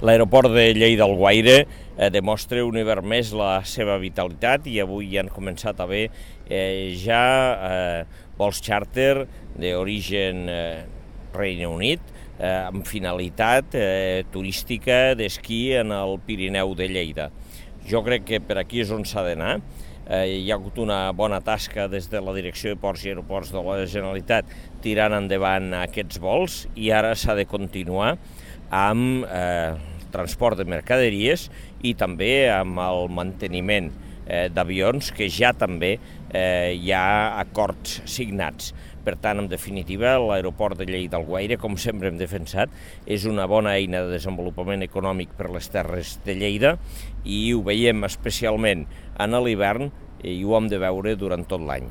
L'aeroport de Lleida-Alguaire demostra un hivern més la seva vitalitat i avui ja han començat a haver vols xàrter d'origen Regne Unit amb finalitat turística d'esquí en el Pirineu de Lleida. Jo crec que per aquí és on s'ha d'anar. Hi ha hagut una bona tasca des de la Direcció de Ports i Aeroports de la Generalitat tirant endavant aquests vols i ara s'ha de continuar amb transport de mercaderies i també amb el manteniment d'avions, que ja també hi ha acords signats. Per tant, en definitiva, l'aeroport de Lleida-Alguaire, com sempre hem defensat, és una bona eina de desenvolupament econòmic per les terres de Lleida i ho veiem especialment en l'hivern i ho hem de veure durant tot l'any.